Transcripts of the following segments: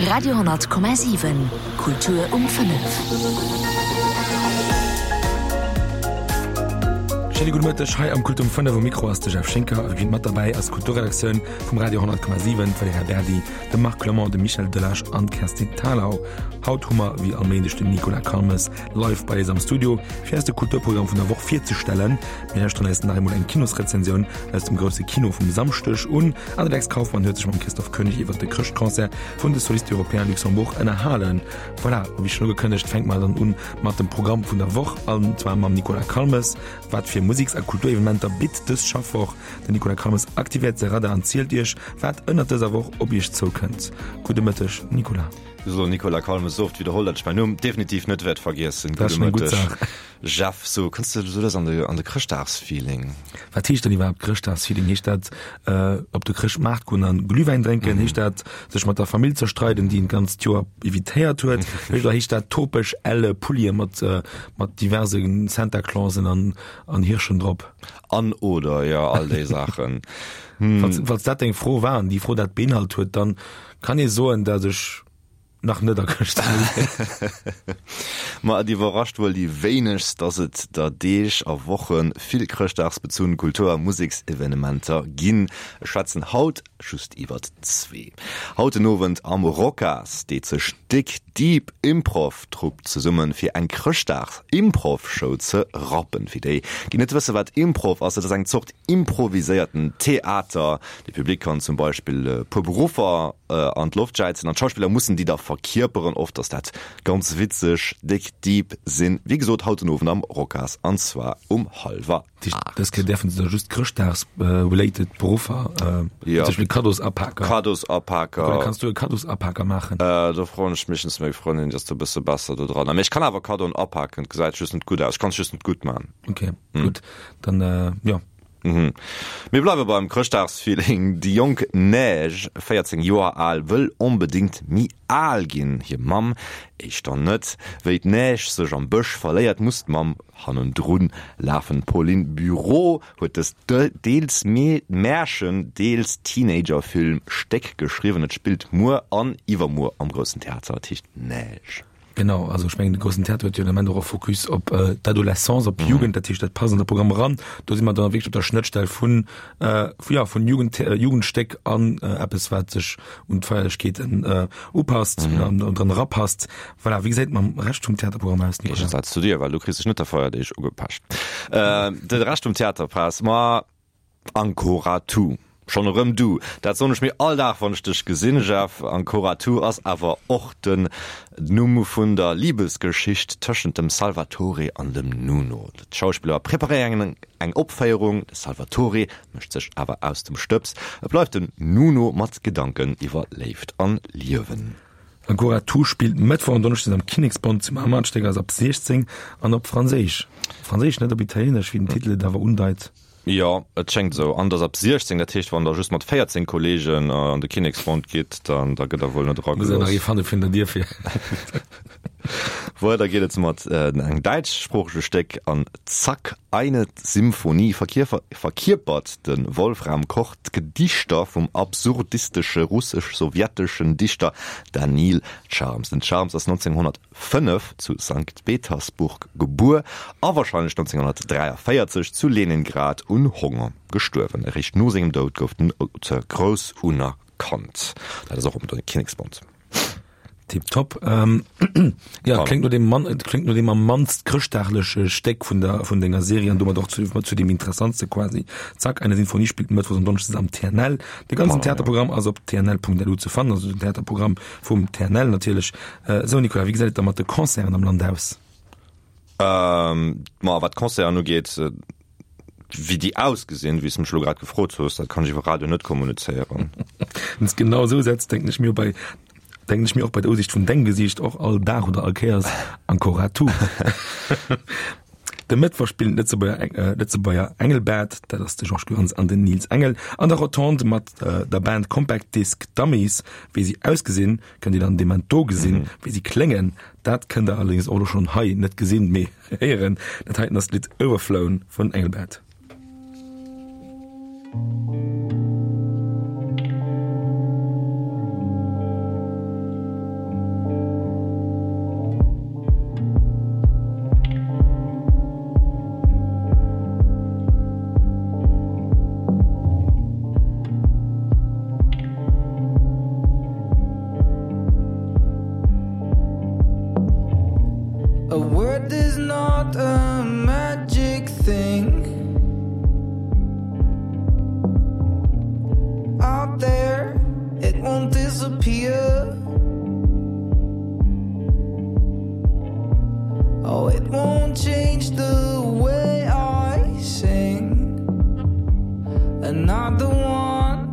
Radio,7 Kultur um 5. Schéine gudde Mëtteg hei am Kult um 5. Um Mikro ass de Jeff Schinker a wéi mat derbäi ass d'Kulturredaktioun vum Radio 10,7, d'Valerija Berdi, de Marc Clement, de Michel Delage an d'Kerstin Thalau. Haut hu mer wéi all Méindeg den Nicolas Calmes live bei eis am Studio, fir eis de Kulturprogramm vun der Woch virzestellen. Mir lauschteren eis nach eemol eng Kinosrezensioun aus dem grousse Kino vum Samschdeg un an de Lex Kauffmann huet sech mam Christophe König iwwer de Chrëschtconcert vun de Solistes Européens Luxembourg ënnerhalen. Voilà, wéi schonn ugekënnegt, fänke mer dann un mat dem Programm vun der Woch an zwar mam Nicolas Calmes. Wat fir Musiks a Kulturevenementer bitt dës Schaffwoch? Den Nicolas Calmes aktivéiert säi Radar an zielt iech, wat ënnert dëser Woch op iech zoukënnt. Gudde Mëtteg, Nicolas. So, Nicolas Calmes, esou oft widderholl, datt ech mäin Numm definitiv net wäert vergiessen. Dat ass schonn eng gutt Saach. Jeff, So, kënns de sou lues an de, an de Chrëschtdagsfeeling? Wat heescht dann iwwerhaapt Chrëschtdagsfeeling? Heescht dat op de Chrëschtmaart goen an Glühwäin drénken? Heescht dat sech mat der Famill zerstreiden, déi een d'ganzt Joer evitéiert huet? Oder heescht dat topeg elle Pullie mat, mat diverse Santa Clausen an, an Hirschen drop? An oder, jo, all déi Saachen. Falls, falls dat deng Fro war an déi Fro dat beinhalt huet, dann kann ee soen, dat ech Nach net a Chrëschtdag. Ma et iwwerrascht wuel déi wéinegst, dass et der Deeg a Woche vill chrëschtdagsbezunn Kultur a Museksevenementer ginn. Ech schwätzen haut just iwwert zwee. Haut den Owend am Rocas deet sech d'Dig Deep Improv Trupp zesummen, fir eng Chrëschtdags-Improv-Show ze rappen. Fir déi, déi net wësse wat Improv ass, et ass eng Zort improviséierten Theater. De Public kann zum Beispill e puer Beruffer an d'Loft jäizen an d'Schauspiller mussen déi da verkierperen. Oft ass dat ganz witzeg. Déck Deep sinn wéi gesot haut den Owend am Rocas an zwar um hallwer 8. Dës Kéier däerfen se da just Chrëschtdags-related Beruffer, zum Beispill Kaddosapaker. Kaddosapaker. Oder kanns du e Kaddosapaker maachen? Do froen ech meeschtens meng Frëndin, déi ass do e bësse besser do dran. Mee ech kann awer Kaddoen apaken, et gesäit just net gutt aus. Ech kann es just net gutt maachen. Ok, gutt. Dann äh, jo. Mhm. Mir bleiwe beim Chrëschtdagsfeeling. Déi jonk Neige, 14 Joer al, wëll onbedéngt méi al ginn. Hir Mamm éischter net. Wéi d'Neige sech am Bësch verléiert, muss d'Mamm hannendru lafen. D'Pauline Bureau huet dëst deels Märchen, deels Teenager-Film Stéck geschriwwen. Et spillt muer an iwwermuer am Groussen Theater. Et heescht Neige. Genau, also ech mengen de groussen Theater huet jo den Ament och e Focus op d'Adolescence, op d'Jugend, dat heescht dat passt an de Programm eran. Do si mer dann wierklech op der Schnëttstell vun, vu ja, vun Jugend, Jugendstéck an eppes wat sech un d'Feierlechkeeten upasst an dran erapasst. Voilà, wéi gesäit et mam Rescht vum Theaterprogramm aus, Nicolas? Géigesaz zu dir, well du kriss dech net der Feierdeeg ugepecht. De Rescht vum Theaterpass, ma Ancora tu. Schonn erëm du. Dat soen ech mir all Dag, wann ech dech gesinn, Jeff. Ancora tu ass awer och den Numm vun der Libesgeschicht tëschent dem Salvatore an dem Nuno. D'Schauspiller preparéieren eng Opféierung, de Salvatore mécht sech awer aus dem Stëbs. Et bleift den Nuno mat Gedanken iwwer Léift an Liewen. Ancora tu spillt Mëttwoch an Donneschdes am Kinneksbond zu Mamer. D'Stéck ass ab 16 an op Franséisch. Franséisch, net op Italienesch, wéi den Titel et awer undeit. Jo, et schéngt esou. An et ass ab 16, dat heescht, wann der just mat 14 Kollegen an de Kinneksbond gitt, dann da gëtt der wuel net Muss een nach ee eragelooss. fanne virun der Dier fir. Weider geet et mat engem däitschsproochege Stéck an Zack, eine Symphonie verkierpert de Wolfram Koch d'Gedichter vum absurdistesche russesch-sowjeteschen Dichter Daniil Charms. Den Charms ass 1900. 5 zu Sankt Petersburg gebuer a warscheinlech 1943 zu Leningrad un Honger gestuerwen. Eréischt no sengem Doud gouf den Auteur grouss unerkannt. Dat ass och um Kinneksbond. Tiptop. Jo, kléngt no deem man, kléngt no deem am mannst chrëschtdagleche Stéck vun der, vun denger Serie an domat och zu, zu deem interessantste quasi. Zack, eine Sinfonie spillt mëttwochs an donneschdes am TNL. De ganzen Theaterprogramm ass op tnl.lu ze fannen, also den Theaterprogramm Vum TNL natierlech. Esou Nicolas, wéi gesäit et da mat de Concerten am Land aus? Ma wat d'Concerten ugeet, wéi déi ausgesinn, wéi s de mech elo grad gefrot hues, dat kann ech iwwer Radio net kommunizéieren. Wann s de genau esou setz, denken ech mir bei, denken ech mir och bei der Usicht vun dengem Gesiicht och all Dag oder all Kéiers, Ancora tu. De Mëttwoch spillen d'Lëtzebuerger Engelbert, dat ass de Georges Goerens an den Nils Engel, an der Rotonde mat der Band Compact Disc Dummies. Wéi si ausgesinn, kënnt Dir dann dee Moment do gesinn. Wéi si kléngen, dat kënnt der allerdéngs och elo schonn hei net gesinn, mee héieren. Dat heiten ass d'Lidd Overflown vun Engelbert. is not a magic thing. Out there, it won't disappear. Oh, it won't change the way I sing. Another one.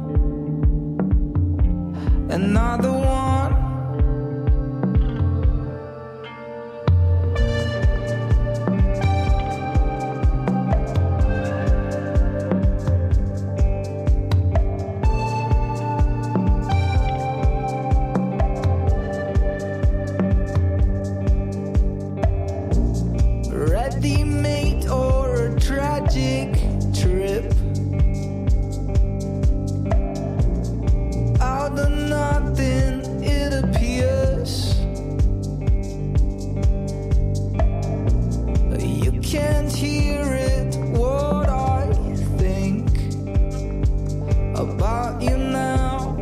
Another one. Ready made or a tragic trip Out of nothing it appears You can't hear it what I think about you now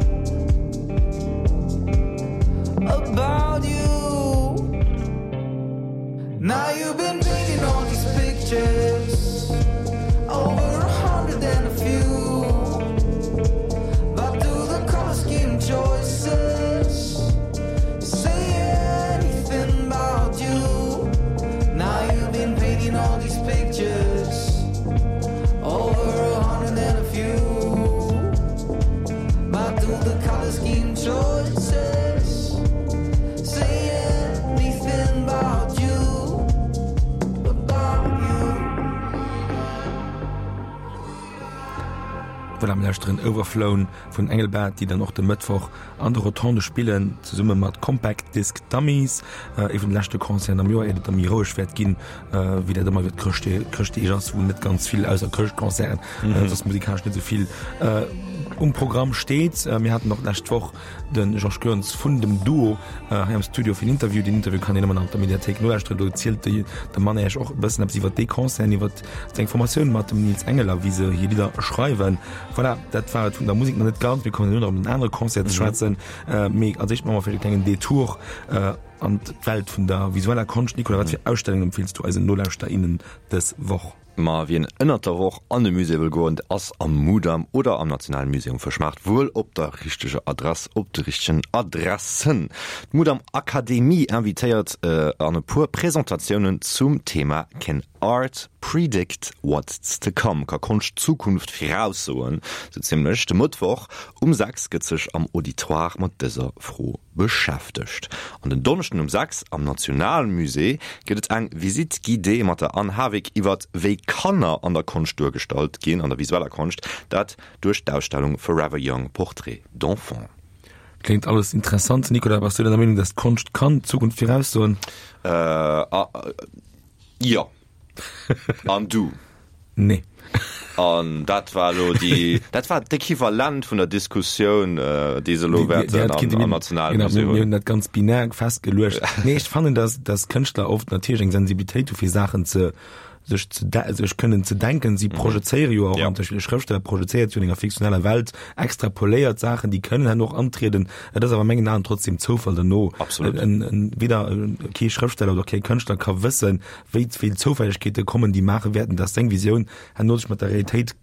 About you Now you've been painting all these pictures Over 100 and a few But do the color scheme choices Say anything about you Now you've been painting all these pictures Over 100 and a few But do the color scheme choices Say anything about you About you Voilà, mir lauschteren Overflown vun Engelbart, déi dann och de Mëttwoch an der Rotonde spillen, zesumme mat Compact Disc Dummies. Ee vun de leschte Concerten am Joer, iert et da méi roueg wäert ginn, wéi dat ëmmer iwwer d'Chrëschtdeeg ass, wou net ganz vill ausser Chrëschtconcerten, soss musikalesch net esou vill um Programm steet. Mir haten och d'lescht Woch de Georges Goerens vun dem Duo hei am Studio fir en Interview. Deen Interview kann een ëmmer nach op der Mediathéik nolauschteren. Do zielt de Mann Äech och e bëssen eppes iwwer dee Concert, iwwer seng Formatioun mat dem Nils Engel a wéi se hir Lidder schreiwen. Voilà, dat war et vun der Musek nach net ganz. Mir kommen elo nach op en anere Concert ze schwätzen. Mee als éischt maache mer vläicht e klengen Detour an d'Welt vun der visueller Konscht. Nicolas, wat fir Ausstellungen empfeels du eisen Nolauschterer, innen dës Woch? Ma wien ënnert der Woch an e Musée wëll goen, ass am Mudam oder am Nationalen Museum Fëschmaart wuel op der richteger Adress, op de richtegen Adressen. D'Mudam Akademie invitéiert an e puer Presentatiounen zum Thema Can Art Predict What's to Come? Ka Konscht d'Zukunft viraussoen? Sou zimmlech. De Mëttwoch um 6 gëtt sech am Auditoire mat dëser Fro beschäftegt. An den Donneschden um 6 am Nationalmusée gëtt et eng Visite guidée mat der Anne Hawick iwwert wéi Kanner an der Konscht duergestallt ginn, an der visueller Konscht, dat duerch d'Ausstellung Forever Young, Portraits d'enfants. Kléngt alles interessant. Nicolas, bass du der Meenung, dass d'Konscht kann d'Zukunft viraussoen? Jo. An du? Nee. An dat war elo déi, dat war d'Equivalent vun der Diskussioun, déi se elo wäerten am Nationalmusée hunn. Mir hunn dat ganz binär festgeluecht. Nee, ech fannen, dass, dass Kënschtler oft natierlech eng Sensibilitéit hu fir Saachen ze, sech ze, sech kënnen ze denken. Si projezéiere jo och, an zum Beispill e Schrëftsteller projezéiert jo an enger fiktioneller Welt, extrapoléiert Saachen, déi kënnen herno och antrieden. Et ass awer a mengen Aen trotzdem Zoufall derno. Absolut. En, en, weder kee Schrëftsteller oder kee Kënschtler ka wëssen, wéi vill Zoufällegkeete kommen, déi maache wäerten, dass seng Visioun herno sech mat der Realitéit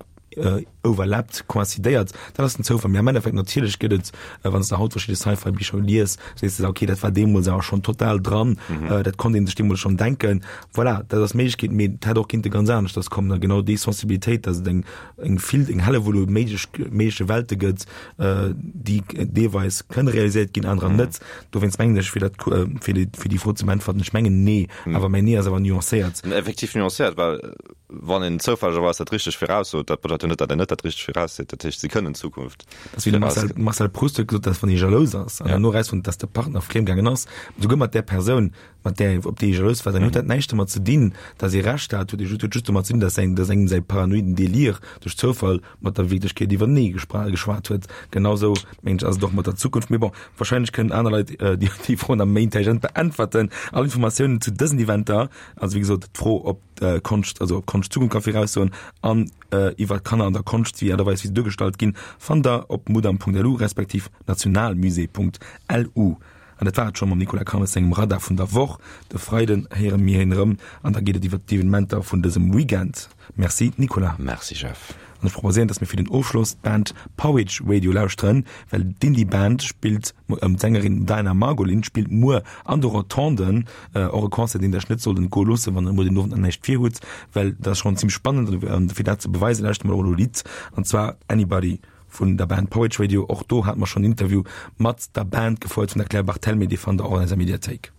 overlappt, coïncidéiert. Dat ass den Zoufall. Mee am Endeffekt natierlech gëtt et, wann s de haut verschidde Sci-Fi-Bicher lies, sees de der, okay, dat war deemools awer schonn total dran, dat konnt ee sech deemools schonn denken. Voilà, dat ass d'Méiglechkeet, mee et hätt och kinnte ganz aneschters kommen. A genau déi Sensibilitéit, dass et eng, eng vill, eng Hellewull u méiglech, méigleche Welte gëtt, déi deelweis kënne realiséiert ginn, anerer net. Dowéinst mengen ech, fir dat, fir déi, fir déi Fro ze beäntwerten, ech mengen nee, awer mäin Nee ass awer nuancéiert. Effektiv nuancéiert, well wann een zoufällegerweis dat richteg viraussot, dat bedeit jo net, datt een net dat richteg virausseet. Dat heescht, si kënnen d'Zukunft Dat ass wéi de Marcel, Marcel Proust huet gesot, datt wann ee jalous ass an herno erausfonnt, datt de Partner friemgaangen ass, souguer mat där Persoun, mat där, op déi ee jalous war, dann huet dat näischt domat ze dinn, datt ee Recht hat, huet huet just domat ze dinn, datt säin, datt engem säi paranoiden Delir duerch Zoufall mat der Wierklechkeet iwwertenee geschwat huet. Genau sou, mengen ech, ass et och mat der Zukunft. Mee bon, wahrscheinlech kënnen aner Leit déi déi Fro nach méi intelligent beäntwerten. All Informatiounen zu dësen Eventer, also wéi gesot d'Fro ob d'Konscht, also ob Konscht d'Zukunft ka viraussoen an iwwer d'Kanner an der Konscht, wéi Aart a Weis wéi se duergestallt ginn, fannt der op mudam.lu respektiv nationalmusée.lu. An dat war et scho mam Nicolas Calmes sengem Radar vun der Woch. De Freiden héiere mir hien erëm an da geet et iwwert d'Evenementer vun dësem Weekend. Merci Nicolas. Merci Jeff. An ech proposéieren, dass mir fir den Ofschloss d'Band Porridge Radio lauschteren, well d'Indie-Band spillt, ëm d'Sängerin Diana Margolin spillt muer an de Rotonden. Och e Concert, deen der iech net sollt entgoe loossen, wann der muer den Owend nach näischt vir hutt, well dat ass schonn zimmlech spannend. An fir dat ze beweisen, lauschtere mer och elo e Lidd, an zwar Anybody vun der Band Porridge Radio. Och do hate mer schonn en Interview mat der Band gefouert vun der Claire Barthelme, dee fannt der och an eiser Mediathéik.